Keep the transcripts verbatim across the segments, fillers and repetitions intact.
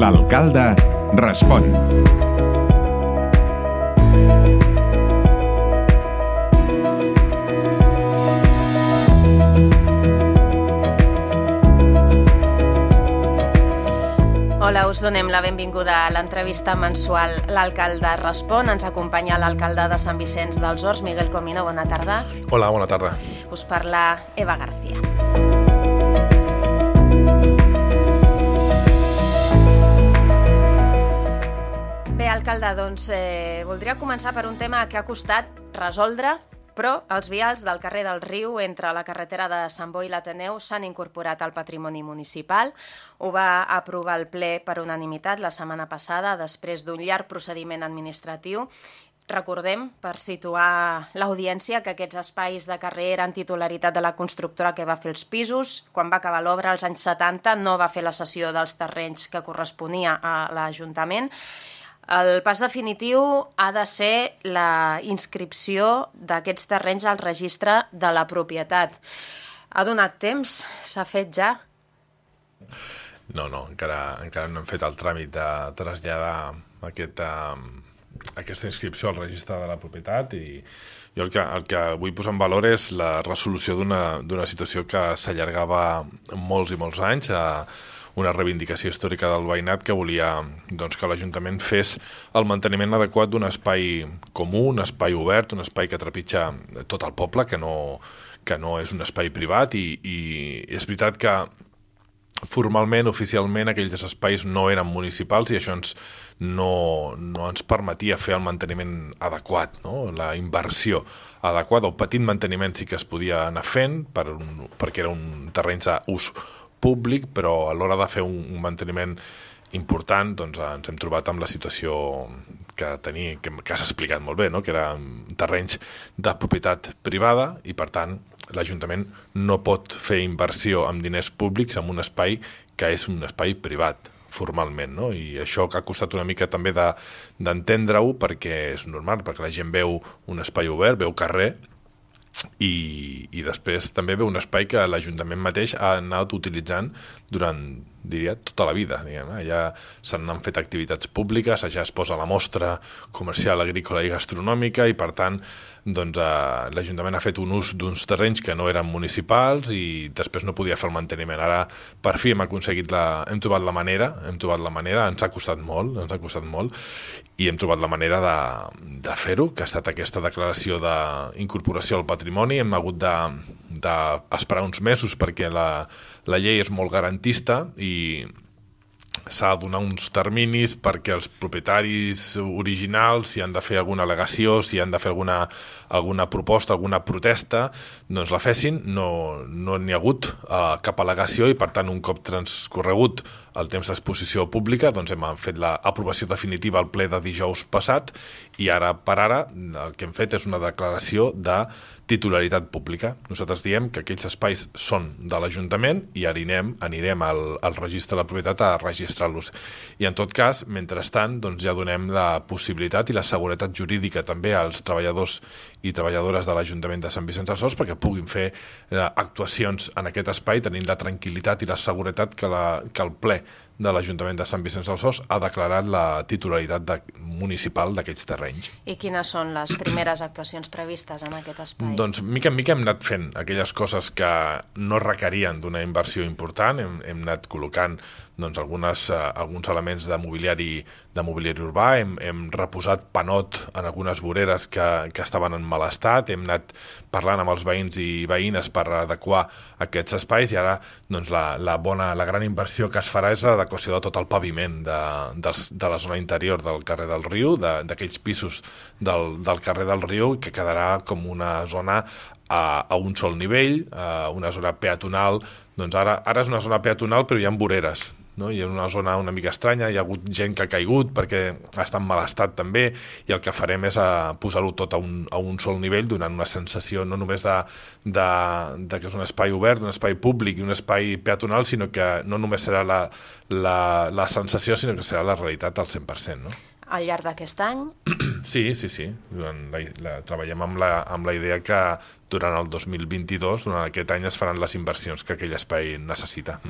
L'alcalde respon. Hola, us donem la benvinguda a l'entrevista mensual L'alcalde respon. Ens acompanya l'alcalde de Sant Vicenç dels Horts, Miguel Comino. Bona tarda. Hola, bona tarda. Us parla Eva García. Bé, alcalde, doncs eh, voldria començar per un tema que ha costat resoldre, però els vials del carrer del Riu entre la carretera de Sant Boi i l'Ateneu s'han incorporat al patrimoni municipal. Ho va aprovar el ple per unanimitat la setmana passada, després d'un llarg procediment administratiu. Recordem, per situar l'audiència, que aquests espais de carrer eren titularitat de la constructora que va fer els pisos. Quan va acabar l'obra, als anys setanta, no va fer la cessió dels terrenys que corresponia a l'Ajuntament. El pas definitiu ha de ser la inscripció d'aquests terrenys al registre de la propietat. Ha donat temps? S'ha fet ja? No, no, encara, encara no hem fet el tràmit de traslladar aquest, uh, aquesta inscripció al registre de la propietat, i jo el que, el que vull posar en valor és la resolució d'una d'una situació que s'allargava molts i molts anys, a una reivindicació històrica del veïnat que volia doncs, que l'Ajuntament fes el manteniment adequat d'un espai comú, un espai obert, un espai que trepitja tot el poble, que no, que no és un espai privat, i, i és veritat que formalment, oficialment, aquells espais no eren municipals i això ens, no, no ens permetia fer el manteniment adequat, no? La inversió adequada, el petit manteniment sí que es podia anar fent per un, perquè era un terreny d'ús públic, però a l'hora de fer un, un manteniment important doncs, ens hem trobat amb la situació que tenia, que, que has explicat molt bé, no? Que eren terrenys de propietat privada i, per tant, l'Ajuntament no pot fer inversió amb diners públics en un espai que és un espai privat, formalment, no? I això que ha costat una mica també de, d'entendre-ho, perquè és normal, perquè la gent veu un espai obert, veu carrer, I, i després també ve un espai que l'Ajuntament mateix ha anat utilitzant durant, diria, tota la vida. Diguem. Allà s'han fet activitats públiques, allà es posa la mostra comercial, agrícola i gastronòmica, i per tant doncs, eh, l'Ajuntament ha fet un ús d'uns terrenys que no eren municipals i després no podia fer el manteniment. Ara per fi hem aconseguit la, hem trobat la manera, hem trobat la manera, ens ha costat molt, ens ha costat molt, i hem trobat la manera de, de fer-ho, que ha estat aquesta declaració d'incorporació al patrimoni. Hem hagut d'esperar de, de uns mesos perquè la, la llei és molt garantista i s'ha de donar uns terminis perquè els propietaris originals, si han de fer alguna al·legació, si han de fer alguna, alguna proposta, alguna protesta, doncs la fessin. No n'hi no ha hagut uh, cap al·legació i, per tant, un cop transcorregut el temps d'exposició pública, doncs hem fet l'aprovació definitiva al ple de dijous passat, i ara per ara el que hem fet és una declaració de titularitat pública. Nosaltres diem que aquells espais són de l'Ajuntament i anirem, anirem al, al registre de la propietat a registrar-los. I en tot cas, mentrestant, doncs ja donem la possibilitat i la seguretat jurídica també als treballadors i treballadores de l'Ajuntament de Sant Vicenç dels Horts perquè puguin fer eh, actuacions en aquest espai tenint la tranquil·litat i la seguretat que, la, que el ple de l'Ajuntament de Sant Vicenç dels Horts ha declarat la titularitat de, municipal d'aquests terrenys. I quines són les primeres actuacions previstes en aquest espai? Doncs mica en mica hem anat fent aquelles coses que no requerien d'una inversió important, hem, hem anat col·locant doncs, algunes, uh, alguns elements de mobiliari, de mobiliari urbà, hem, hem reposat panot en algunes voreres que, que estaven en mal estat, hem anat parlant amb els veïns i veïnes per adequar aquests espais, i ara doncs, la, la, bona, la gran inversió que es farà és l'adequació de tot el paviment de, de, de la zona interior del carrer del Riu, d'aquells pisos del, del carrer del Riu, que quedarà com una zona a, a un sol nivell, a una zona peatonal. Doncs ara, ara és una zona peatonal però hi ha voreres, no? Hi ha una zona una mica estranya, hi ha hagut gent que ha caigut perquè està en mal estat també, i el que farem és posar-ho tot a un, a un sol nivell, donant una sensació no només de, de, de que és un espai obert, un espai públic i un espai peatonal, sinó que no només serà la, la, la sensació, sinó que serà la realitat al cent per cent, no? Al llarg d'aquest any? Sí, sí, sí. La, la, treballem amb la, amb la idea que durant el dos mil vint-i-dos, durant aquest any, es faran les inversions que aquell espai necessita.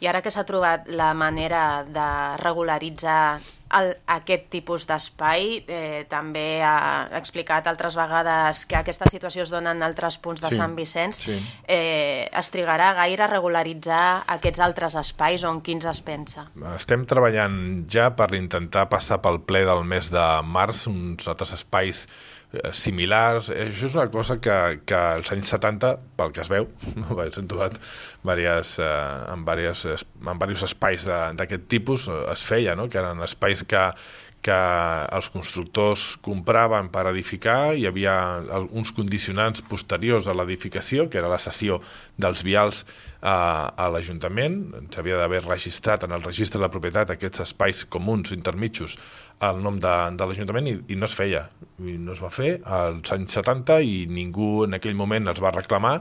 I ara que s'ha trobat la manera de regularitzar el, aquest tipus d'espai, eh, també ha explicat altres vegades que aquesta situació es dona en altres punts de sí, Sant Vicenç, sí. eh, es trigarà gaire a regularitzar aquests altres espais o en quins es pensa? Estem treballant ja per intentar passar pel ple del mes de març uns altres espais similars. Això és una cosa que, que als anys setanta, pel que es veu, s'han trobat diverses, eh, en, diverses, en diversos espais d'aquest tipus, es feia, no? Que eren espais que, que els constructors compraven per edificar, hi havia uns condicionants posteriors a l'edificació, que era la cessió dels vials a, a l'Ajuntament. S'havia d'haver registrat en el registre de la propietat aquests espais comuns, intermitjos, el nom de, de l'Ajuntament, i, i no es feia. I no es va fer als anys setanta i ningú en aquell moment els va reclamar,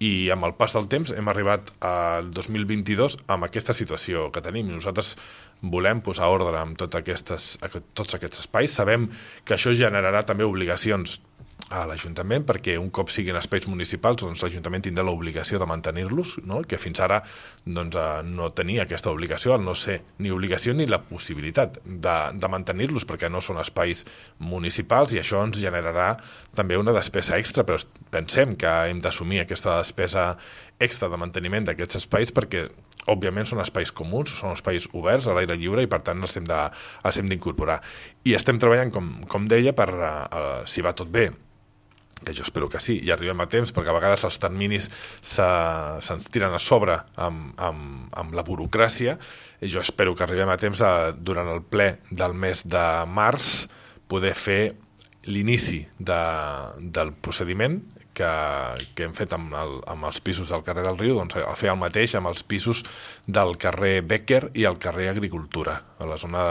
i amb el pas del temps hem arribat al dos mil vint-i-dos amb aquesta situació que tenim. Nosaltres volem posar ordre amb tot aquestes, tots aquests espais. Sabem que això generarà també obligacions a l'Ajuntament, perquè un cop siguin espais municipals, doncs l'Ajuntament tindrà l'obligació de mantenir-los, no? Que fins ara doncs, no tenia aquesta obligació, al no ser ni obligació ni la possibilitat de, de mantenir-los, perquè no són espais municipals, i això ens generarà també una despesa extra, però pensem que hem d'assumir aquesta despesa extra de manteniment d'aquests espais, perquè òbviament són espais comuns, són espais oberts a l'aire lliure, i per tant els hem de, els hem d'incorporar. I estem treballant, com, com deia, per, uh, si va tot bé, que jo espero que sí, i arribem a temps, perquè a vegades els terminis se'ns se, tiren a sobre amb, amb, amb la burocràcia, i jo espero que arribem a temps a, durant el ple del mes de març, poder fer l'inici de, del procediment que, que hem fet amb, el, amb els pisos del carrer del Riu, doncs a fer el mateix amb els pisos del carrer Becker i el carrer Agricultura, a la zona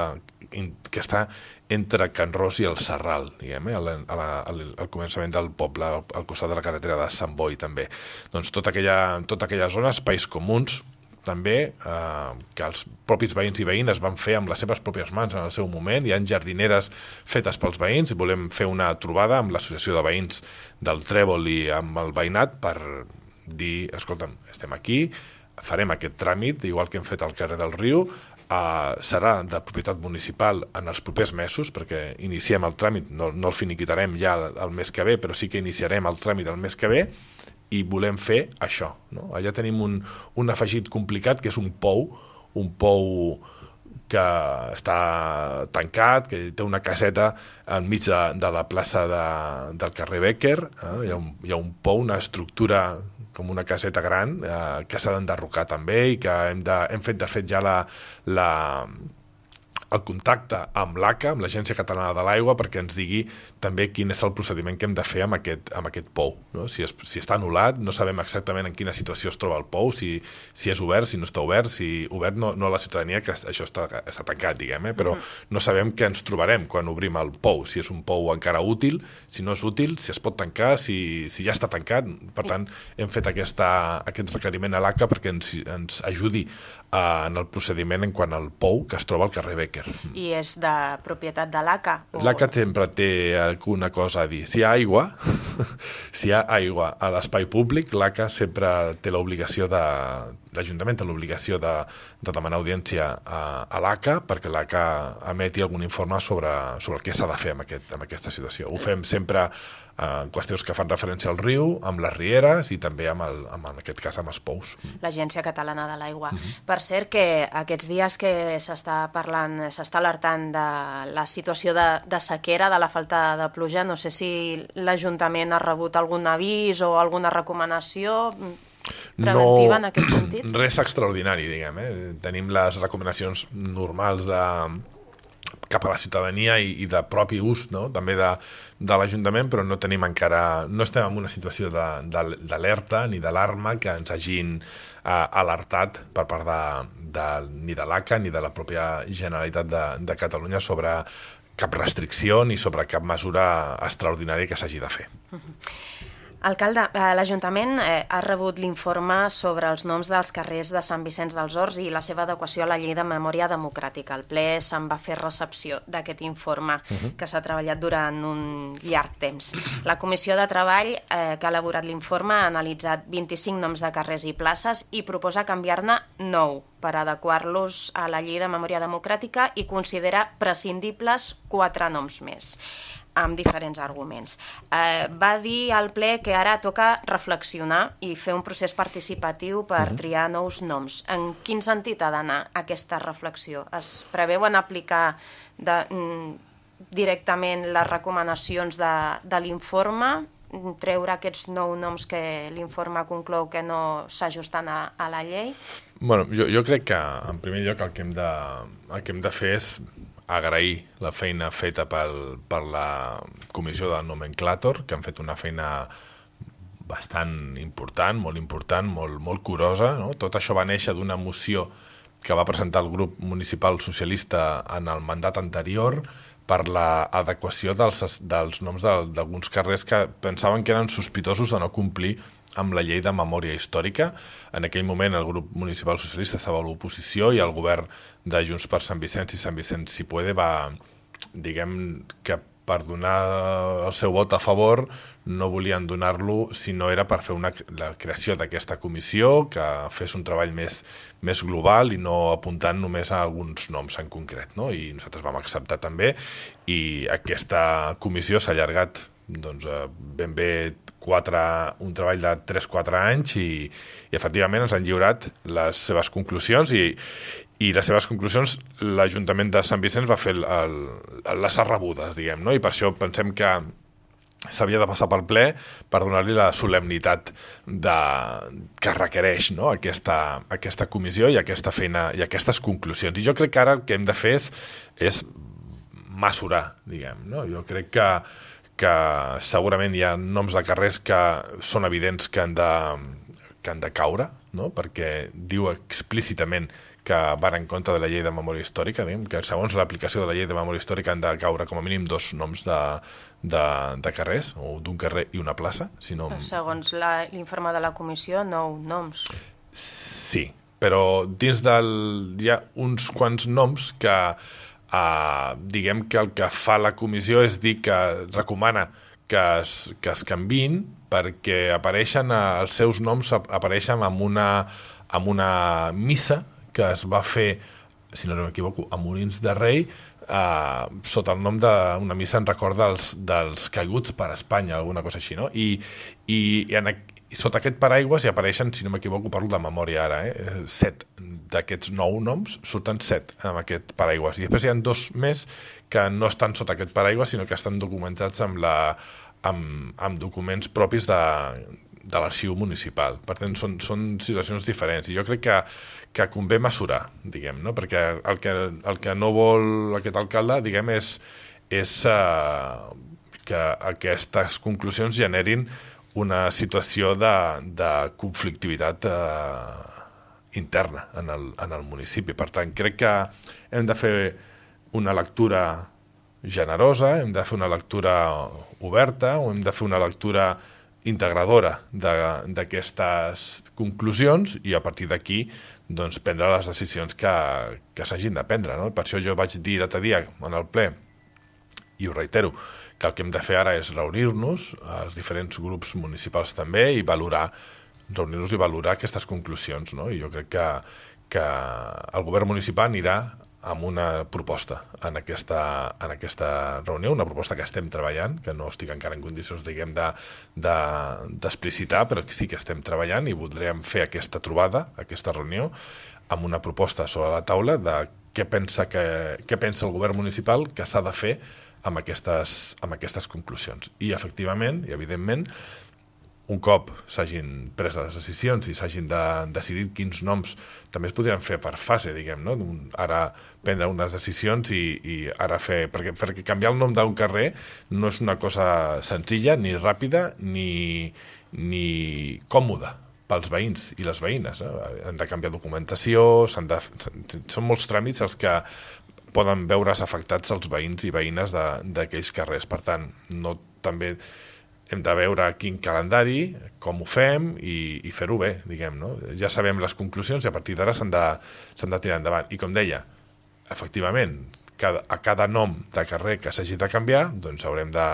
que està entre Can Ros i el Serral, diguem, eh, al, al, al començament del poble, al, al costat de la carretera de Sant Boi, també. Doncs tota aquella, tota aquella zona, espais comuns, també, eh, que els propis veïns i veïnes van fer amb les seves pròpies mans en el seu moment. Hi ha jardineres fetes pels veïns, i volem fer una trobada amb l'associació de veïns del Trèvol i amb el veïnat per dir, escolta'm, estem aquí, farem aquest tràmit, igual que hem fet al carrer del Riu, Uh, serà de propietat municipal en els propers mesos, perquè iniciem el tràmit, no, no el finiquitarem ja el, el mes que ve, però sí que iniciarem el tràmit el mes que ve, i volem fer això, no? Allà tenim un, un afegit complicat, que és un pou, un pou que està tancat, que té una caseta enmig de, de la plaça de, del carrer Becker, eh? hi, ha un, hi ha un pou, una estructura com una caseta gran, eh, que s'ha d'enderrocar també, i que hem, de, hem fet, de fet, ja la, la, el contacte amb l'A C A, amb l'Agència Catalana de l'Aigua, perquè ens digui també quin és el procediment que hem de fer amb aquest, amb aquest pou, no? Si, es, si està anul·lat, no sabem exactament en quina situació es troba el pou, si, si és obert, si no està obert, si obert no, no a la ciutadania, que això està, està tancat, diguem, eh? Però mm. no sabem què ens trobarem quan obrim el pou, si és un pou encara útil, si no és útil, si es pot tancar, si, si ja està tancat. Per tant, hem fet aquesta, aquest requeriment a l'A C A perquè ens, ens ajudi uh, en el procediment en quant al pou que es troba al carrer Becker. I és de propietat de l'A C A? O... L'A C A sempre té alguna cosa a dir. Si hi ha aigua, si hi ha aigua a l'espai públic, l'A C A sempre té l'obligació de... l'Ajuntament té l'obligació de, de demanar audiència a, a l'A C A perquè l'A C A emeti algun informe sobre, sobre el que s'ha de fer amb, aquest, amb aquesta situació. Ho fem sempre en qüestions que fan referència al riu, amb les rieres i també amb, el, amb en aquest cas amb els pous. L'Agència Catalana de l'Aigua. Uh-huh. Per cert, que aquests dies que s'està parlant, s'està alertant de la situació de, de sequera, de la falta de pluja, no sé si l'Ajuntament ha rebut algun avís o alguna recomanació preventiva no, en aquest sentit? Res extraordinari, diguem. Eh? Tenim les recomanacions normals de cap a la ciutadania i, i de propi ús, no? També de, de l'Ajuntament, però no tenim encara, no estem en una situació d'alerta ni d'alarma que ens hagin eh, alertat per part de, de, ni de l'A C A ni de la pròpia Generalitat de, de Catalunya sobre cap restricció ni sobre cap mesura extraordinària que s'hagi de fer. Uh-huh. Alcalde, l'Ajuntament ha rebut l'informe sobre els noms dels carrers de Sant Vicenç dels Horts i la seva adequació a la llei de memòria democràtica. El ple se'n va fer recepció d'aquest informe uh-huh. que s'ha treballat durant un llarg temps. La Comissió de Treball eh, que ha elaborat l'informe ha analitzat vint-i-cinc noms de carrers i places i proposa canviar-ne nou per adequar-los a la llei de memòria democràtica i considera prescindibles quatre noms més, amb diferents arguments. Eh, va dir al ple que ara toca reflexionar i fer un procés participatiu per uh-huh. triar nous noms. En quin sentit ha d'anar aquesta reflexió? Es preveuen aplicar de, mm, directament les recomanacions de, de l'informe, treure aquests nou noms que l'informe conclou que no s'ajusten a, a la llei? Bueno, jo, jo crec que, en primer lloc, el que hem de, el que hem de fer és agrair la feina feta pel, per la comissió del nomenclàtor, que han fet una feina bastant important, molt important, molt, molt curosa. No? Tot això va néixer d'una moció que va presentar el grup municipal socialista en el mandat anterior per l'adequació dels, dels noms d'alguns carrers que pensaven que eren sospitosos de no complir amb la llei de memòria històrica. En aquell moment el grup municipal socialista estava a l'oposició i el govern de Junts per Sant Vicenç i Sant Vicenç Si Puede va, diguem que per donar el seu vot a favor no volien donar-lo si no era per fer una, la creació d'aquesta comissió que fes un treball més, més global i no apuntant només a alguns noms en concret, no? I nosaltres vam acceptar també i aquesta comissió s'ha allargat doncs, ben bé quatre, un treball de tres o quatre anys i, i efectivament ens han lliurat les seves conclusions i, i les seves conclusions l'Ajuntament de Sant Vicenç va fer el, el, les arrebudes, diguem, no? I per això pensem que s'havia de passar pel ple per donar-li la solemnitat de, que requereix, no? aquesta, aquesta comissió i aquesta feina i aquestes conclusions. I jo crec que ara el que hem de fer és, és mesurar, diguem, no? Jo crec que que segurament hi ha noms de carrers que són evidents que han de, que han de caure, no? Perquè diu explícitament que van en contra de la llei de memòria històrica, diguem, que segons l'aplicació de la llei de memòria històrica han de caure com a mínim dos noms de, de, de carrers, o d'un carrer i una plaça. Si no... Segons l'informe de la comissió, nou noms. Sí, però dins del... hi ha uns quants noms que... Uh, diguem que el que fa la comissió és dir que recomana que es, que es canviïn perquè apareixen, uh, els seus noms apareixen en una, en una missa que es va fer, si no m'equivoco, a Molins de Rei, uh, sota el nom d'una missa en record dels, dels caiguts per Espanya, alguna cosa així, no? I, i, i en, sota aquest paraigües hi apareixen, si no m'equivoco, parlo de memòria ara, eh? set d'aquests nou noms surten set amb aquest paraigües. I després hi ha dos més que no estan sota aquest paraigües, sinó que estan documentats amb, la, amb, amb documents propis de, de l'arxiu municipal. Per tant, són, són situacions diferents. I jo crec que, que convé mesurar, diguem, no? Perquè el que, el que no vol aquest alcalde, diguem, és, és uh, que aquestes conclusions generin una situació de, de conflictivitat eh, interna en el, en el municipi. Per tant, crec que hem de fer una lectura generosa, hem de fer una lectura oberta, o hem de fer una lectura integradora d'aquestes conclusions i a partir d'aquí doncs, prendre les decisions que, que s'hagin de prendre. No? Per això jo vaig dir l'altre dia en el ple, i ho reitero, que el que hem de fer ara és reunir-nos, els diferents grups municipals també, i valorar, reunir-nos i valorar aquestes conclusions. No? I jo crec que, que el govern municipal anirà amb una proposta en aquesta, en aquesta reunió, una proposta que estem treballant, que no estic encara en condicions, diguem, de, de, d'explicitar, però que sí que estem treballant i voldríem fer aquesta trobada, aquesta reunió, amb una proposta sobre la taula de què pensa, que, què pensa el govern municipal que s'ha de fer amb aquestes, amb aquestes conclusions. I, efectivament, i evidentment, un cop s'hagin pres les decisions i s'hagin de decidir quins noms també es podrien fer per fase, diguem, no? Ara prendre unes decisions i, i ara fer... Perquè, perquè canviar el nom d'un carrer no és una cosa senzilla, ni ràpida, ni, ni còmoda pels veïns i les veïnes. Eh? Han de canviar documentació, s'han de, són molts tràmits els que poden veure's afectats els veïns i veïnes d'aquells carrers. Per tant, no, també hem de veure quin calendari, com ho fem i, i fer-ho bé, diguem, no? Ja sabem les conclusions i a partir d'ara s'han de, s'han de tirar endavant. I com deia, efectivament, cada, a cada nom de carrer que s'hagi de canviar, doncs haurem de,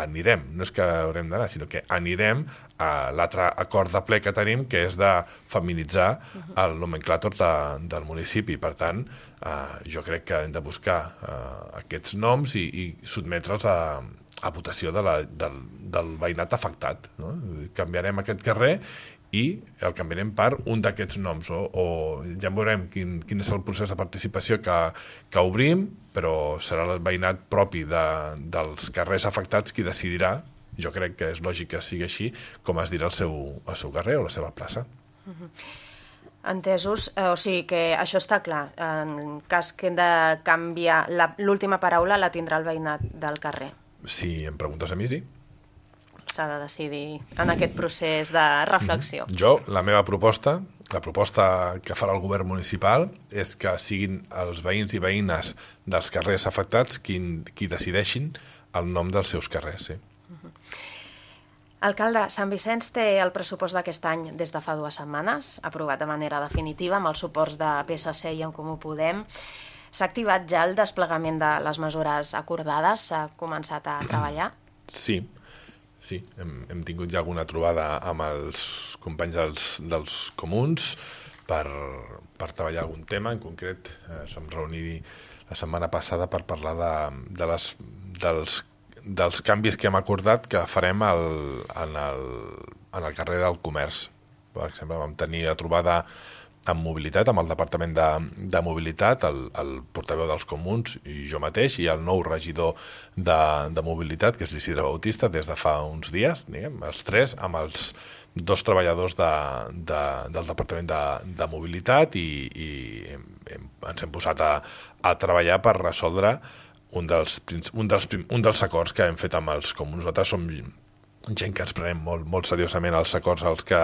anirem, no és que haurem d'anar, sinó que anirem a l'altre acord de ple que tenim, que és de feminitzar el nomenclàtor de, del municipi. Per tant, eh, jo crec que hem de buscar eh, aquests noms i, i sotmetre'ls a a votació de la, del, del veïnat afectat. No? Canviarem aquest carrer i el canviarem per un d'aquests noms, o, o ja veurem quin, quin és el procés de participació que, que obrim, però serà el veïnat propi de, dels carrers afectats qui decidirà, jo crec que és lògic que sigui així, com es dirà el seu, el seu carrer o la seva plaça. Uh-huh. Entesos, eh, o sigui que això està clar, en cas que hem de canviar, la, l'última paraula la tindrà el veïnat del carrer. Si em preguntes a mi, sí. S'ha de decidir en aquest procés de reflexió. Mm-hmm. Jo, la meva proposta, la proposta que farà el govern municipal és que siguin els veïns i veïnes dels carrers afectats qui, qui decideixin el nom dels seus carrers, sí. Uh-huh. Alcalde, Sant Vicenç té el pressupost d'aquest any des de fa dues setmanes, aprovat de manera definitiva amb els suports de P S C i En Comú Podem. S'ha activat ja el desplegament de les mesures acordades? S'ha començat a treballar? Sí, sí. Hem, hem tingut ja alguna trobada amb els companys dels, dels comuns per, per treballar algun tema. En concret, eh, som reunir la setmana passada per parlar de, de les, dels, dels canvis que hem acordat que farem al, en, el, en el carrer del Comerç. Per exemple, vam tenir la trobada amb mobilitat, amb el Departament de, de Mobilitat, el, el portaveu dels comuns i jo mateix, i el nou regidor de, de Mobilitat, que és l'Isidre Bautista, des de fa uns dies, diguem, els tres, amb els dos treballadors de, de, del Departament de, de Mobilitat i, i hem, hem, ens hem posat a, a treballar per resoldre un dels, un, dels, un dels acords que hem fet amb els comuns. Nosaltres som gent que ens prenem molt, molt seriosament els acords als que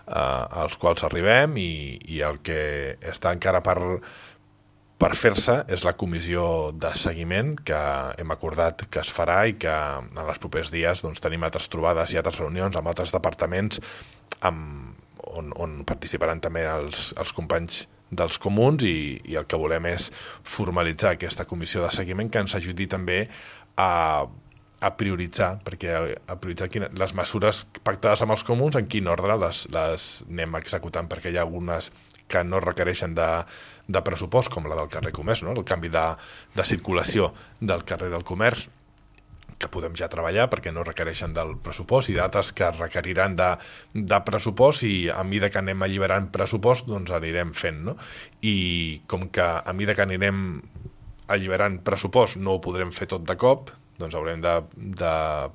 Uh, als quals arribem i, i el que està encara per, per fer-se és la comissió de seguiment que hem acordat que es farà i que en els propers dies doncs, tenim altres trobades i altres reunions amb altres departaments amb, on, on participaran també els, els companys dels comuns i, i el que volem és formalitzar aquesta comissió de seguiment que ens ajudi també a a prioritzar, perquè a prioritzar quina, les mesures pactades amb els comuns, en quin ordre les, les anem executant, perquè hi ha algunes que no requereixen de, de pressupost, com la del carrer Comerç, no? El canvi de, de circulació del carrer del Comerç, que podem ja treballar perquè no requereixen del pressupost, i d'altres que requeriran de, de pressupost, i a mesura que anem alliberant pressupost, doncs anirem fent, no? I com que a mesura que anirem alliberant pressupost no ho podrem fer tot de cop, doncs haurem de, de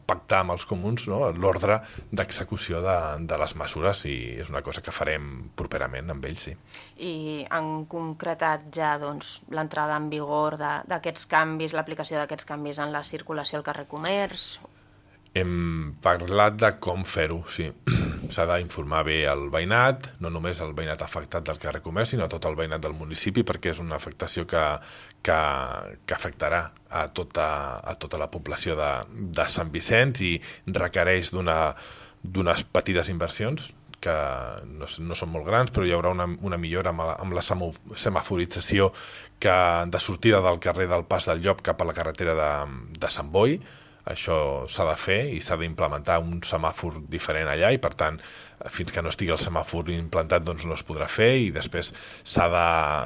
pactar amb els comuns, no? L'ordre d'execució de, de les mesures, i és una cosa que farem properament amb ells, sí. I han concretat ja doncs, l'entrada en vigor d'aquests canvis, l'aplicació d'aquests canvis en la circulació al carrer Comerç? Hem parlat de com fer-ho, sí. S'ha d'informar bé el veïnat, no només el veïnat afectat del carrer Comerç, sinó tot el veïnat del municipi, perquè és una afectació que, que, que afectarà a tota, a tota la població de, de Sant Vicenç i requereix d'una, d'unes petites inversions que no, no són molt grans, però hi haurà una, una millora amb la, amb la semaforització que, de sortida del carrer del Pas del Llop cap a la carretera de, de Sant Boi. Això s'ha de fer i s'ha d'implementar un semàfor diferent allà, i per tant, fins que no estigui el semàfor implantat doncs no es podrà fer, i després s'ha de,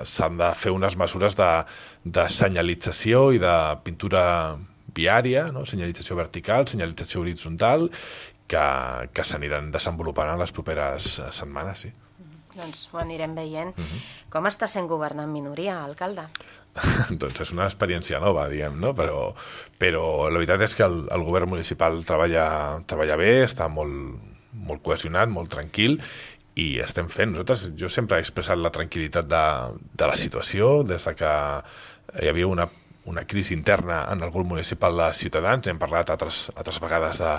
s'han de fer unes mesures de, de senyalització i de pintura viària, no? Senyalització vertical, senyalització horitzontal, que, que s'aniran desenvolupant en les properes setmanes, sí. Doncs ho anirem veient. Uh-huh. Com està sent governant minoria, alcalde? Doncs és una experiència nova, diguem, no? Però, però la veritat és que el, el govern municipal treballa, treballa bé, està molt, molt cohesionat, molt tranquil, i estem fent. Nosaltres, jo sempre he expressat la tranquil·litat de, de la situació, des de que hi havia una una crisi interna en el grup municipal de Ciutadans, hem parlat altres, altres vegades de,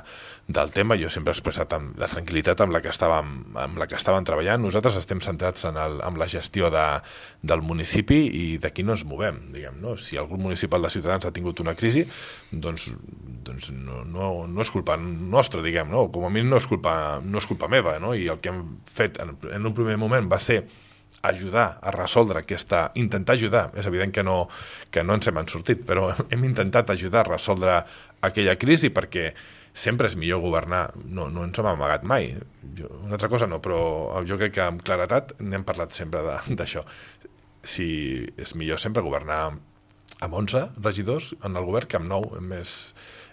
del tema, jo sempre he expressat amb la tranquil·litat amb la que estàvem, amb la que estàvem treballant. Nosaltres estem centrats en, el, en la gestió de, del municipi i d'aquí no ens movem, diguem, no? Si el grup municipal de Ciutadans ha tingut una crisi, doncs, doncs no, no, no és culpa nostra, diguem, no? Com a mínim no és culpa, no és culpa meva, no? I el que hem fet en, en un primer moment va ser ajudar a resoldre aquesta... intentar ajudar, és evident que no, que no ens hem sortit, però hem intentat ajudar a resoldre aquella crisi perquè sempre és millor governar, no, no ens hem amagat mai. Jo, una altra cosa no, però jo crec que amb claretat n'hem parlat sempre d'això. Si és millor sempre governar amb onze regidors en el govern que amb nou, és més,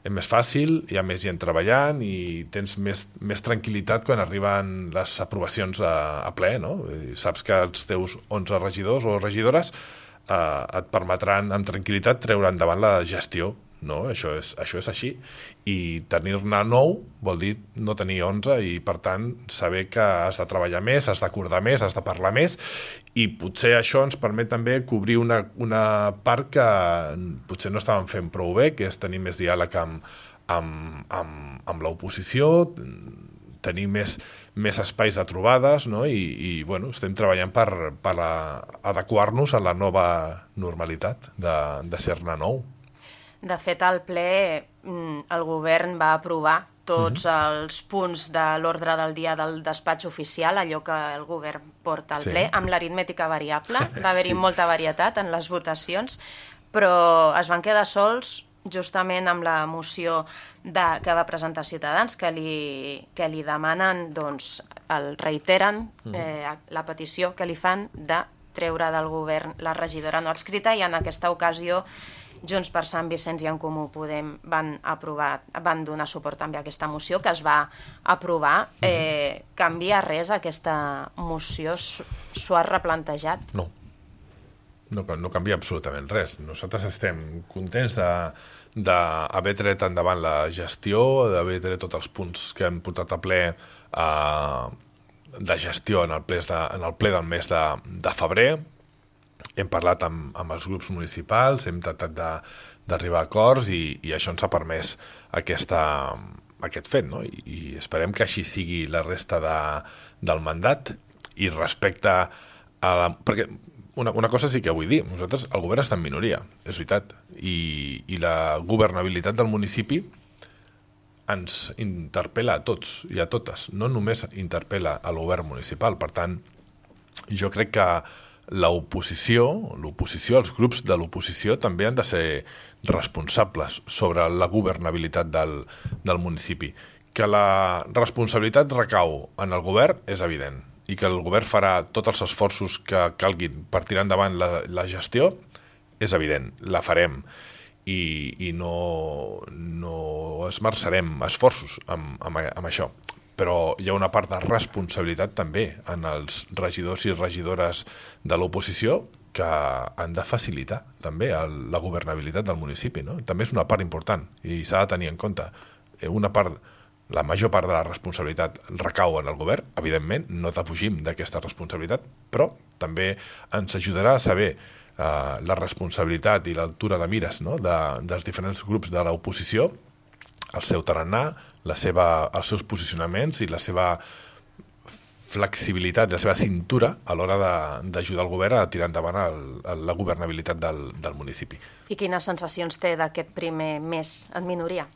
és més fàcil, hi ha més gent treballant i tens més, més tranquil·litat quan arriben les aprovacions a, a ple, no? I saps que els teus onze regidors o regidores eh, et permetran amb tranquil·litat treure endavant la gestió, no? Això és, això és així. I tenir-ne nou vol dir no tenir onze i, per tant, saber que has de treballar més, has d'acordar més, has de parlar més i potser això ens permet també cobrir una, una part que potser no estàvem fent prou bé, que és tenir més diàleg amb, amb, amb, amb l'oposició, tenir més, més espais de trobades, no? I, i bueno, estem treballant per, per adequar-nos a la nova normalitat de, de ser-ne nou. De fet, al ple el govern va aprovar tots uh-huh. els punts de l'ordre del dia del despatx oficial, allò que el govern porta al sí. ple, amb l'aritmètica variable. Va haver-hi sí. molta varietat en les votacions, però es van quedar sols justament amb la moció de, que va presentar Ciutadans, que li, que li demanen, doncs, el reiteren uh-huh. eh, la petició que li fan de treure del govern la regidora no adscrita, i en aquesta ocasió Junts per Sant Vicenç i En Comú Podem van aprovar, van donar suport també a aquesta moció que es va aprovar. Eh, canvia res aquesta moció? S'ho ha replantejat? No. No, no canvia absolutament res. Nosaltres estem contents d'haver tret endavant la gestió, d'haver tret tots els punts que hem portat a ple eh, de gestió en el ple, de, en el ple del mes de, de febrer. Hem parlat amb, amb els grups municipals, hem tractat d'arribar a acords i, i això ens ha permès aquesta, aquest fet, no? I, i esperem que així sigui la resta de, del mandat. I respecte a la... Perquè una, una cosa sí que vull dir, nosaltres, el govern està en minoria, és veritat, i, i la governabilitat del municipi ens interpel·la a tots i a totes, no només interpel·la al govern municipal. Per tant, jo crec que l'oposició, l'oposició, els grups de l'oposició també han de ser responsables sobre la governabilitat del, del municipi. Que la responsabilitat recau en el govern és evident i que el govern farà tots els esforços que calguin per tirar endavant la, la gestió és evident, la farem i, i no, no esmerçarem esforços amb, amb, amb això. Però hi ha una part de responsabilitat també en els regidors i regidores de l'oposició que han de facilitar també el, la governabilitat del municipi, no? També és una part important i s'ha de tenir en compte. Una part, la major part de la responsabilitat recau en el govern, evidentment, no defugim d'aquesta responsabilitat, però també ens ajudarà a saber eh, la responsabilitat i l'altura de mires, no? de, dels diferents grups de l'oposició, el seu tarannà, la seva, els seus posicionaments i la seva flexibilitat, la seva cintura a l'hora d'ajudar el govern a tirar endavant el, el, la governabilitat del, del municipi. I quines sensacions té d'aquest primer mes en minoria?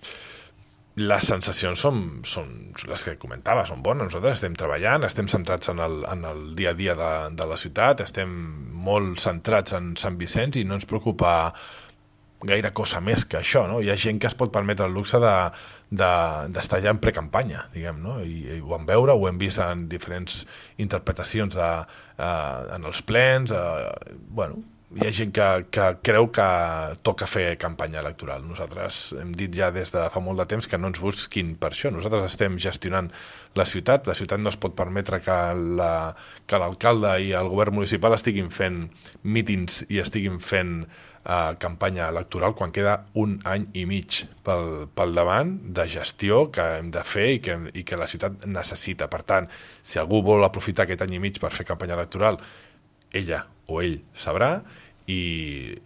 Les sensacions són, són les que comentava, són bones. Nosaltres estem treballant, estem centrats en el, en el dia a dia de, de la ciutat, estem molt centrats en Sant Vicenç i no ens preocupa gaire cosa més que això, no? Hi ha gent que es pot permetre el luxe de, de, d'estar ja en precampanya, diguem, no? I, i ho vam veure, ho hem vist en diferents interpretacions de, uh, en els plens, uh, bueno, hi ha gent que, que creu que toca fer campanya electoral. Nosaltres hem dit ja des de fa molt de temps que no ens busquin per això. Nosaltres estem gestionant la ciutat. La ciutat no es pot permetre que, la, que l'alcalde i el govern municipal estiguin fent mítings i estiguin fent eh, campanya electoral quan queda un any i mig pel, pel davant de gestió que hem de fer i que, i que la ciutat necessita. Per tant, si algú vol aprofitar aquest any i mig per fer campanya electoral, ella o ell sabrà, i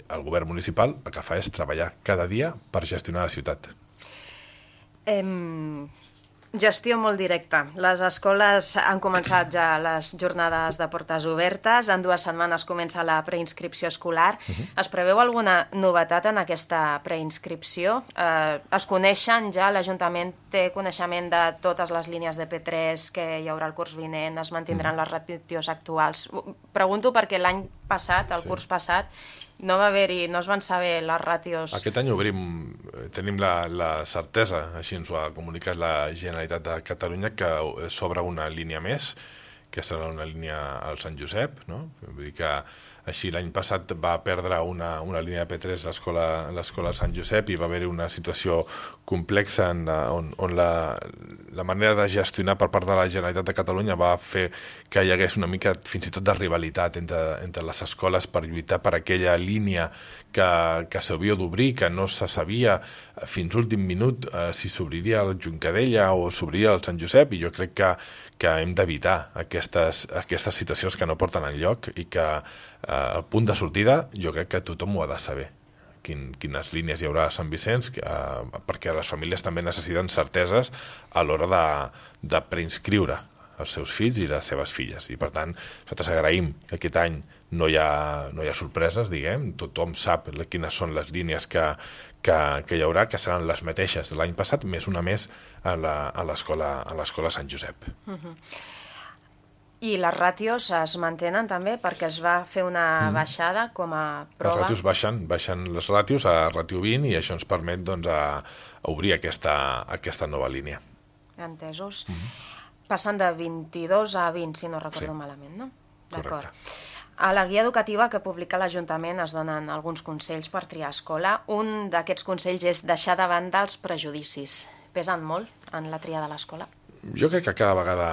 el govern municipal el que fa és treballar cada dia per gestionar la ciutat. Em... Gestió molt directa. Les escoles han començat ja les jornades de portes obertes. En dues setmanes comença la preinscripció escolar. Uh-huh. Es preveu alguna novetat en aquesta preinscripció? Eh, es coneixen ja? L'Ajuntament té coneixement de totes les línies de P tres que hi haurà el curs vinent? Es mantindran uh-huh. les ràtios actuals? Pregunto perquè l'any passat, el sí. curs passat, no va haver-hi, no es van saber les ràtios. Aquest any obrim, tenim la, la certesa, així ens ho ha comunicat la Generalitat de Catalunya, que s'obre una línia més, que serà una línia al Sant Josep, no? Vull dir que així l'any passat va perdre una, una línia de P tres a l'escola Sant Josep i va haver-hi una situació complexa en, on, on la, la manera de gestionar per part de la Generalitat de Catalunya va fer que hi hagués una mica fins i tot de rivalitat entre, entre les escoles per lluitar per aquella línia que, que s'havia d'obrir, que no se sabia fins últim minut eh, si s'obriria el Juncadella o s'obriria el Sant Josep, i jo crec que, que hem d'evitar aquestes, aquestes situacions que no porten enlloc i que eh, el punt de sortida jo crec que tothom ho ha de saber. Quin, quines línies hi haurà a Sant Vicenç, eh, perquè les famílies també necessiten certeses a l'hora de, de preinscriure els seus fills i les seves filles. I per tant, nosaltres agraïm que aquest any no hi ha, no hi ha sorpreses, diguem, tothom sap quines són les línies que, que, que hi haurà, que seran les mateixes de l'any passat, més una més a l'escola Sant Josep. Uh-huh. I les ràtios es mantenen també perquè es va fer una mm. baixada com a prova? Les ràtios baixen, baixen les ràtios a ràtio vint i això ens permet doncs, a, a obrir aquesta, aquesta nova línia. Entesos. Mm-hmm. Passant de vint-i-dos a vint, si no recordo sí. malament, no? Correcte. A la guia educativa que publica l'Ajuntament es donen alguns consells per triar escola. Un d'aquests consells és deixar de banda els prejudicis. Pesen molt en la tria de l'escola? Jo crec que cada vegada...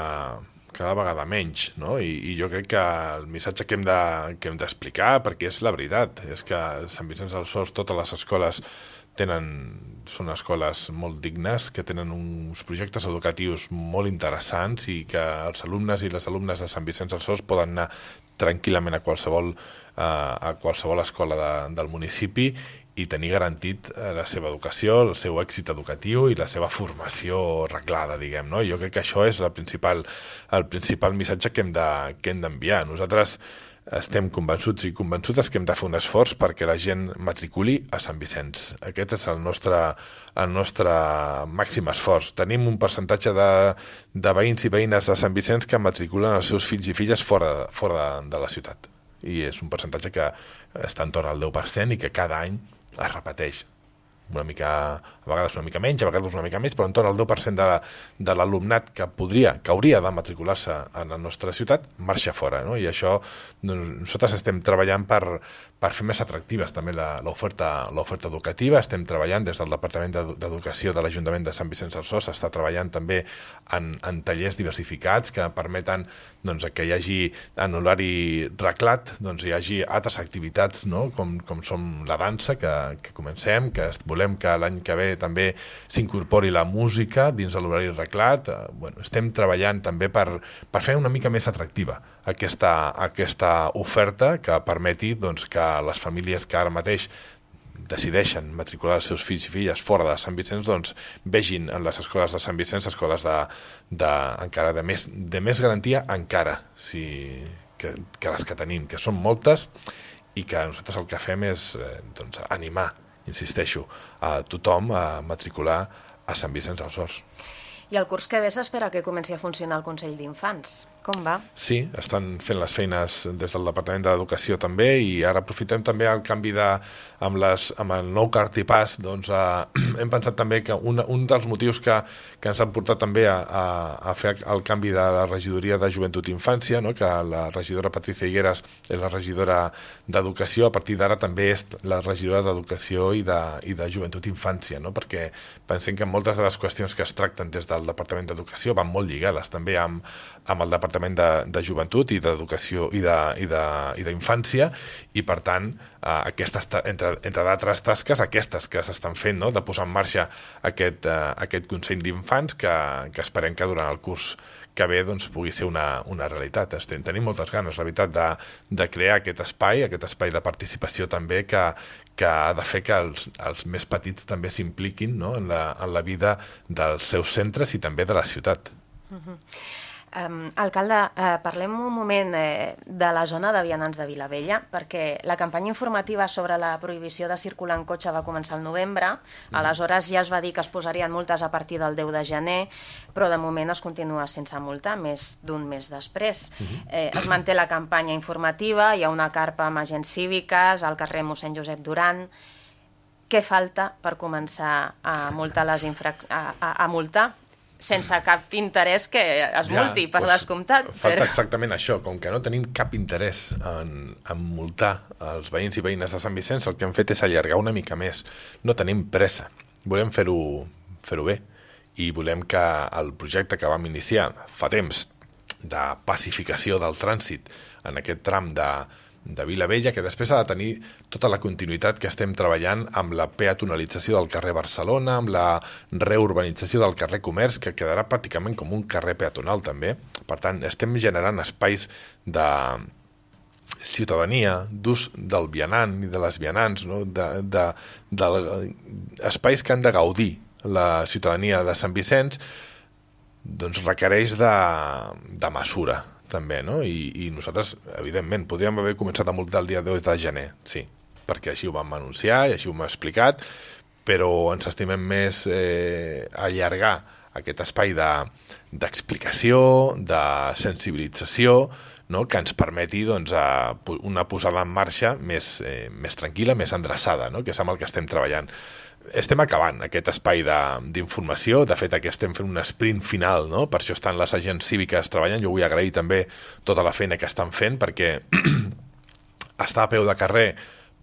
cada vegada menys, no? I, i jo crec que el missatge que hem de, que hem d'explicar, perquè és la veritat, és que a Sant Vicenç dels Horts totes les escoles tenen, són escoles molt dignes, que tenen uns projectes educatius molt interessants i que els alumnes i les alumnes de Sant Vicenç dels Horts poden anar tranquil·lament a qualsevol, eh, a qualsevol escola de, del municipi i tenir garantit la seva educació, el seu èxit educatiu i la seva formació reglada, diguem, no? Jo crec que això és el principal, el principal missatge que hem de, que hem d'enviar. Nosaltres estem convençuts i convençutes que hem de fer un esforç perquè la gent matriculi a Sant Vicenç. Aquest és el nostre, el nostre màxim esforç. Tenim un percentatge de, de veïns i veïnes de Sant Vicenç que matriculen els seus fills i filles fora, fora de, de la ciutat. I és un percentatge que està entorn al deu per cent i que cada any es repeteix. Una mica, a vegades una mica menys, a vegades una mica més, però entorn al deu per cent de, la, de l'alumnat que podria, que hauria de matricular-se en la nostra ciutat, marxa fora, no? I això, doncs, nosaltres estem treballant per, per fer més atractives també l'oferta l'oferta educativa. Estem treballant des del Departament d'Educació de l'Ajuntament de Sant Vicenç dels Horts, està treballant també en, en tallers diversificats que permeten doncs, que hi hagi en horari reglat, doncs, hi hagi altres activitats, no? com, com som la dansa, que, que comencem, que volem que l'any que ve també s'incorpori la música dins de l'horari reglat. Eh, bueno, estem treballant també per, per fer una mica més atractiva aquesta, aquesta oferta que permeti doncs, que les famílies que ara mateix decideixen matricular els seus fills i filles fora de Sant Vicenç, doncs vegin en les escoles de Sant Vicenç escoles de, de, encara de més, de més garantia encara si, que, que les que tenim, que són moltes i que nosaltres el que fem és eh, doncs, animar, insisteixo, a tothom a matricular a Sant Vicenç dels Horts. I el curs que ve s'espera que comenci a funcionar el Consell d'Infants. Com va? Sí, estan fent les feines des del Departament d'Educació també i ara aprofitem també el canvi de... amb, les, amb el nou cartipàs, doncs eh, hem pensat també que un, un dels motius que, que ens han portat també a, a, a fer el canvi de la regidoria de Joventut i Infància, no? Que la regidora Patricia Higueras és la regidora d'Educació, a partir d'ara també és la regidora d'Educació i de, i de Joventut i Infància, no? Perquè pensem que moltes de les qüestions que es tracten des del Departament d'Educació van molt lligades també amb, amb el Departament Departament de, de Joventut i d'Educació i d'Infància, i per tant, eh, aquestes, entre, entre d'altres tasques, aquestes que s'estan fent, no? De posar en marxa aquest, eh, aquest Consell d'Infants, que, que esperem que durant el curs que bé doncs, pugui ser una, una realitat. Estem, tenim moltes ganes, la veritat, de, de crear aquest espai, aquest espai de participació també que, que ha de fer que els, els més petits també s'impliquin, no? en, la, en la vida dels seus centres i també de la ciutat. Uh-huh. Um, alcalde, uh, parlem un moment eh, de la zona de vianants de Vilavella, perquè la campanya informativa sobre la prohibició de circular en cotxe va començar al novembre. Mm. Aleshores ja es va dir que es posarien multes a partir del deu de gener, però de moment es continua sense multa, més d'un mes després. Mm-hmm. eh, es manté la campanya informativa, hi ha una carpa amb agents cíviques al carrer mossèn Josep Duran. Què falta per començar a multar les infrac... a, a, a multar? Sense cap interès que es multi, ja, per doncs, descomptat. Falta però... exactament això, com que no tenim cap interès en, en multar els veïns i veïnes de Sant Vicenç, el que hem fet és allargar una mica més. No tenim pressa, volem fer-ho fer-ho bé, i volem que el projecte que vam iniciar fa temps de pacificació del trànsit en aquest tram de, de Vilavella, que després ha de tenir tota la continuïtat que estem treballant amb la peatonalització del carrer Barcelona, amb la reurbanització del carrer Comerç, que quedarà pràcticament com un carrer peatonal també. Per tant, estem generant espais de ciutadania, d'ús del vianant i de les vianants, no? de, de, de, de espais que han de gaudir la ciutadania de Sant Vicenç, doncs requereix de, de mesura també, no? I, i nosaltres, evidentment, podríem haver començat a multar el dia deu de gener, sí, perquè així ho vam anunciar i així ho hem explicat, però ens estimem més eh, allargar aquest espai de, d'explicació, de sensibilització, no? Que ens permeti doncs, a una posada en marxa més, eh, més tranquil·la, més endreçada, no? Que és amb el que estem treballant. Estem acabant aquest espai d'informació, de, de fet aquí estem fent un sprint final, no? Per això estan les agents cíviques treballant. Jo vull agrair també tota la feina que estan fent, perquè estar a peu de carrer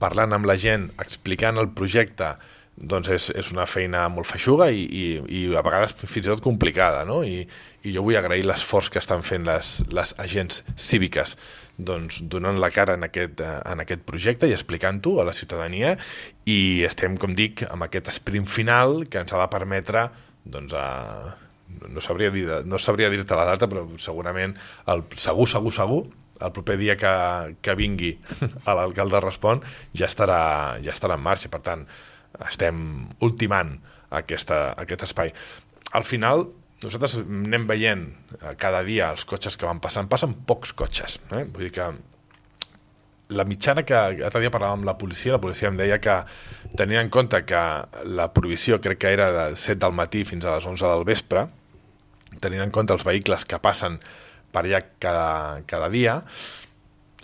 parlant amb la gent, explicant el projecte, doncs és, és una feina molt feixuga i, i, i a vegades fins i tot complicada, no? I, i jo vull agrair l'esforç que estan fent les, les agents cíviques, doncs, donant la cara en aquest, en aquest projecte i explicant-ho a la ciutadania, i estem, com dic, amb aquest sprint final que ens ha de permetre, doncs, a, no sabria dir, no sabria dir-te la data, però segurament, el, segur, segur, segur, el proper dia que, que vingui a l'alcalde Respon ja estarà, ja estarà en marxa. Per tant, estem ultimant aquesta, aquest espai. Al final, nosaltres anem veient cada dia els cotxes que van passant. Passen pocs cotxes. Eh? Vull dir que la mitjana que l'altre dia parlàvem amb la policia, la policia em deia que tenint en compte que la prohibició crec que era de set del matí fins a les onze del vespre, tenint en compte els vehicles que passen per allà cada, cada dia,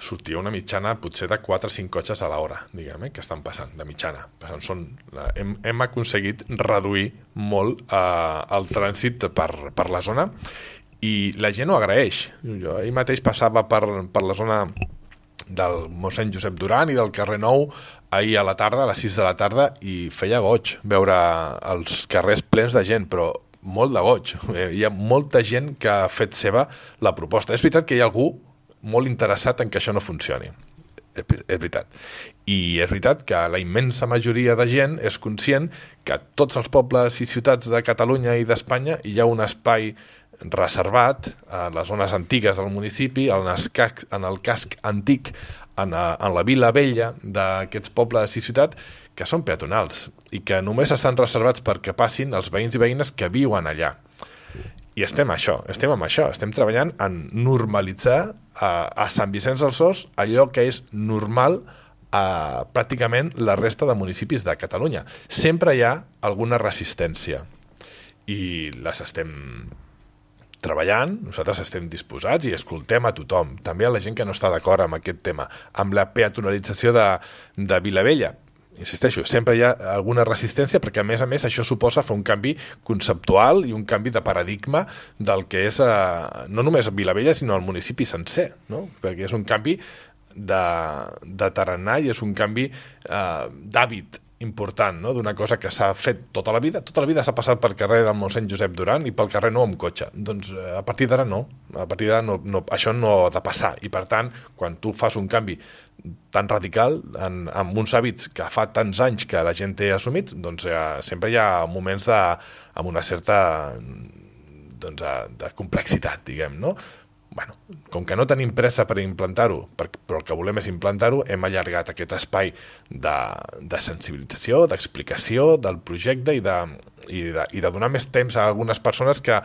sortia una mitjana potser de quatre o cinc cotxes a l'hora, diguem, eh, que estan passant, de mitjana. Són, hem, hem aconseguit reduir molt eh, el trànsit per, per la zona, i la gent ho agraeix. Jo ahir mateix passava per, per la zona del mossèn Josep Duran i del carrer Nou ahir a la tarda, a les sis de la tarda, i feia goig veure els carrers plens de gent, però molt de goig. Hi ha molta gent que ha fet seva la proposta. És veritat que hi ha algú molt interessat en que això no funcioni. És veritat. I és veritat que la immensa majoria de gent és conscient que a tots els pobles i ciutats de Catalunya i d'Espanya hi ha un espai reservat a les zones antigues del municipi, en el casc, en el casc antic, en, a, en la vila vella d'aquests pobles i ciutats, que són peatonals i que només estan reservats perquè passin els veïns i veïnes que viuen allà. I estem això, estem amb això, estem treballant en normalitzar a, a Sant Vicenç dels Horts allò que és normal a pràcticament la resta de municipis de Catalunya. Sempre hi ha alguna resistència i les estem treballant, nosaltres estem disposats i escoltem a tothom, també a la gent que no està d'acord amb aquest tema, amb la peatonalització de, de Vilavella. Insisteixo, sempre hi ha alguna resistència perquè, a més a més, això suposa fer un canvi conceptual i un canvi de paradigma del que és eh, no només Vilavella, sinó el municipi sencer, no? Perquè és un canvi de, de tarannà i és un canvi eh, d'hàbit important, no? D'una cosa que s'ha fet tota la vida. Tota la vida s'ha passat pel carrer del mossèn Josep Duran i pel carrer nou amb cotxe. Doncs a partir d'ara no. A partir d'ara no, no, això no ha de passar. I per tant, quan tu fas un canvi tan radical en, en uns hàbits que fa tants anys que la gent té assumits, doncs eh, sempre hi ha moments de, amb una certa doncs, de, de complexitat, diguem, no? Bueno, com que no tenim pressa per implantar-ho, però el que volem és implantar-ho, hem allargat aquest espai de, de sensibilització, d'explicació del projecte i de, i, de, i de donar més temps a algunes persones que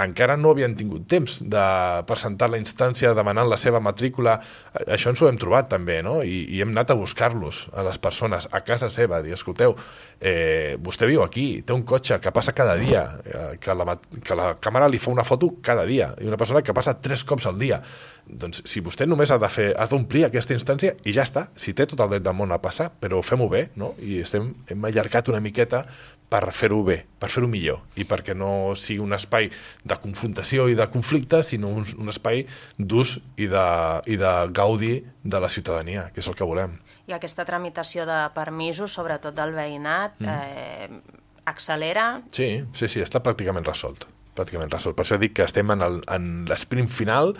encara no havien tingut temps de presentar la instància demanant la seva matrícula. Això ens ho hem trobat també, no? I, i hem anat a buscar-los a les persones a casa seva, dir, escolteu, eh, vostè viu aquí, té un cotxe que passa cada dia, eh, que, la, que la càmera li fa una foto cada dia, i una persona que passa tres cops al dia. Doncs si vostè només ha de fer, ha d'omplir aquesta instància i ja està, si té tot el dret del món a passar, però fem-ho bé, no? I estem, hem allargat una miqueta per fer-ho bé, per fer-ho millor, i perquè no sigui un espai de confrontació i de conflicte, sinó un, un espai d'ús i, de, i de gaudi de la ciutadania, que és el que volem. I aquesta tramitació de permisos, sobretot del veïnat, mm. eh, accelera? Sí, sí, sí, està pràcticament resolt. pràcticament resolt. Per això dic que estem en, el, en l'esprint final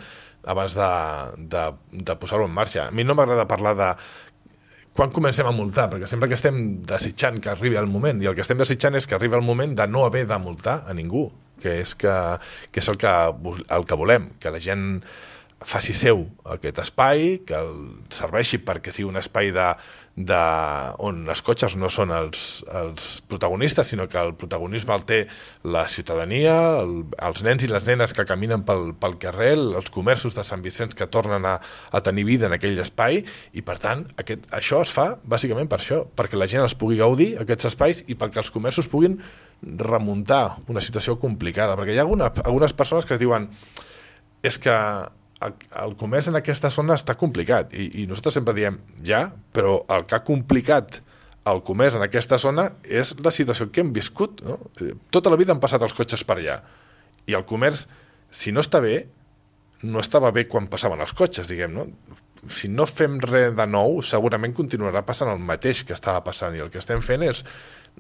abans de, de, de posar-ho en marxa. A mi no m'agrada parlar de quan comencem a multar, perquè sempre que estem desitjant que arribi el moment, i el que estem desitjant és que arribi el moment de no haver de multar a ningú, que és, que, que és el, que, el que volem, que la gent faci seu aquest espai, que el serveixi perquè sigui un espai de, de, on els cotxes no són els, els protagonistes, sinó que el protagonisme el té la ciutadania, el, els nens i les nenes que caminen pel, pel carrer, els comerços de Sant Vicenç que tornen a, a tenir vida en aquell espai, i per tant aquest, això es fa bàsicament per això, perquè la gent els pugui gaudir aquests espais i perquè els comerços puguin remuntar una situació complicada, perquè hi ha alguna, algunes persones que es diuen és que el comerç en aquesta zona està complicat, i, i nosaltres sempre diem ja, però el que ha complicat el comerç en aquesta zona és la situació que hem viscut, no? Tota la vida han passat els cotxes per allà, i el comerç, si no està bé, no estava bé quan passaven els cotxes, diguem, no? Si no fem res de nou, segurament continuarà passant el mateix que estava passant, i el que estem fent és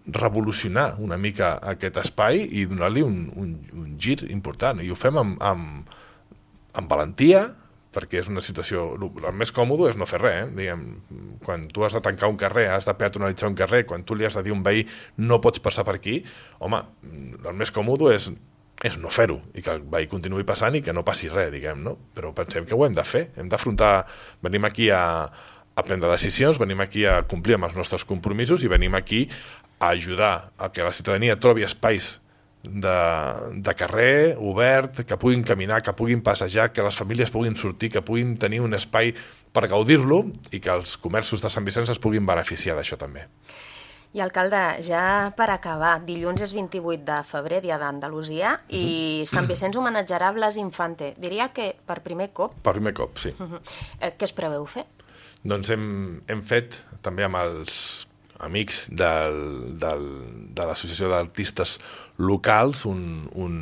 revolucionar una mica aquest espai i donar-li un, un, un gir important, i ho fem amb, amb amb valentia, perquè és una situació... El més còmode és no fer res, eh? Diguem, quan tu has de tancar un carrer, has de peatonalitzar un carrer, quan tu li has de dir a un veí no pots passar per aquí, home, el més còmode és, és no fer-ho, i que el veí continuï passant i que no passi res, diguem, no? Però pensem que ho hem de fer, hem d'afrontar... Venim aquí a, a prendre decisions, venim aquí a complir amb els nostres compromisos i venim aquí a ajudar a que la ciutadania trobi espais De, de carrer, obert, que puguin caminar, que puguin passejar, que les famílies puguin sortir, que puguin tenir un espai per gaudir-lo i que els comerços de Sant Vicenç es puguin beneficiar d'això també. I alcalde, ja per acabar, dilluns és vint-i-vuit de febrer, dia d'Andalusia, uh-huh. i Sant Vicenç homenatjarà Blas Infante. Diria que per primer cop? Per primer cop, sí. Uh-huh. Eh, què es preveu fer? Doncs hem, hem fet també amb els amics del, del, de l'Associació d'Artistes Locals un, un,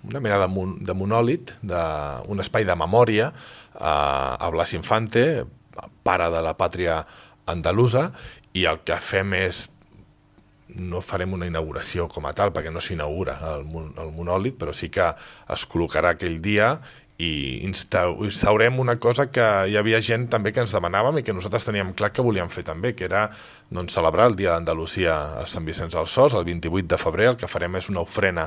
una mena de, mon, de monòlit, de, un espai de memòria a, a Blas Infante, pare de la pàtria andalusa, i el que fem és, no farem una inauguració com a tal, perquè no s'inaugura el, el monòlit, però sí que es col·locarà aquell dia i instaurem una cosa que hi havia gent també que ens demanàvem i que nosaltres teníem clar que volíem fer també, que era doncs, celebrar el Dia d'Andalusia a Sant Vicenç dels Horts, el vint-i-vuit de febrer. El que farem és una ofrena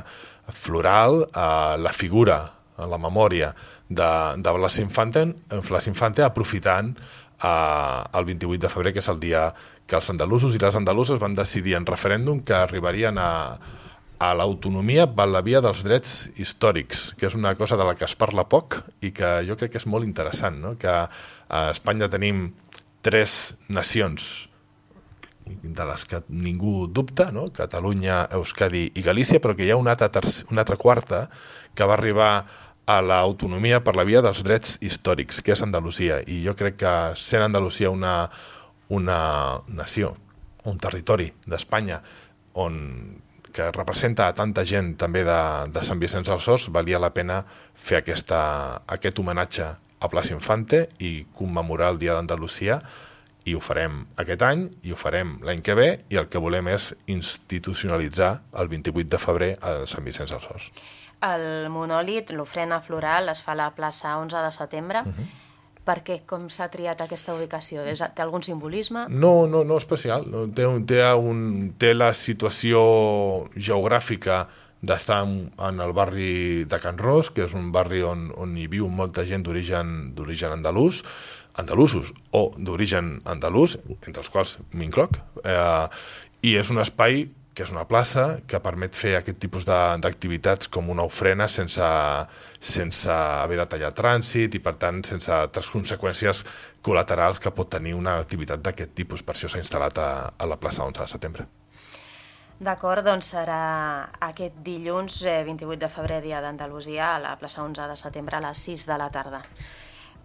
floral a la figura, a la memòria de, de Blas Infante, Blas Infante aprofitant eh, el vint-i-vuit de febrer, que és el dia que els andalusos i les andaluses van decidir en referèndum que arribarien a a l'autonomia per la via dels drets històrics, que és una cosa de la que es parla poc i que jo crec que és molt interessant, no? Que a Espanya tenim tres nacions de les que ningú dubta, no? Catalunya, Euskadi i Galícia, però que hi ha una altra, una altra quarta que va arribar a l'autonomia per la via dels drets històrics, que és Andalusia. I jo crec que sent Andalusia una, una nació, un territori d'Espanya on que representa a tanta gent també de, de Sant Vicenç dels Horts, valia la pena fer aquesta, aquest homenatge a Blas Infante i commemorar el Dia d'Andalusia i ho farem aquest any, i ho farem l'any que ve, i el que volem és institucionalitzar el vint-i-vuit de febrer a Sant Vicenç dels Horts. El monòlit, l'ofrena floral, es fa a la plaça onze de setembre. Uh-huh. Per què? Com s'ha triat aquesta ubicació? Té algun simbolisme? No, no, no especial. No, té, un, té, un, té la situació geogràfica d'estar en, en el barri de Can Ros, que és un barri on, on hi viu molta gent d'origen d'origen andalús, andalusos o d'origen andalús, entre els quals m'incloc, eh, i és un espai que és una plaça que permet fer aquest tipus d'activitats com una ofrena sense, sense haver de tallar trànsit i, per tant, sense altres conseqüències col·laterals que pot tenir una activitat d'aquest tipus. Per això s'ha instal·lat a, a la plaça onze de setembre. D'acord, doncs serà aquest dilluns, eh, vint-i-vuit de febrer, dia d'Andalusia, a la plaça onze de setembre a les sis de la tarda.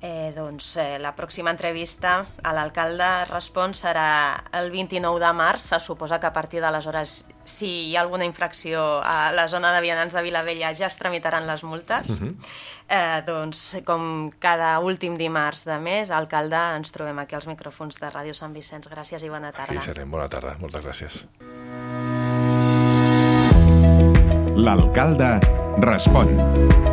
Eh, doncs eh, la pròxima entrevista a l'alcalde Respon serà el vint-i-nou de març. Se suposa que a partir d'aleshores, si hi ha alguna infracció a la zona de vianants de Vilavella, ja es tramitaran les multes. Uh-huh. eh, doncs com cada últim dimarts de mes, alcalde, ens trobem aquí als micròfons de Ràdio Sant Vicenç. Gràcies i bona tarda. Aquí serem, bona tarda, moltes gràcies. L'alcalde respon.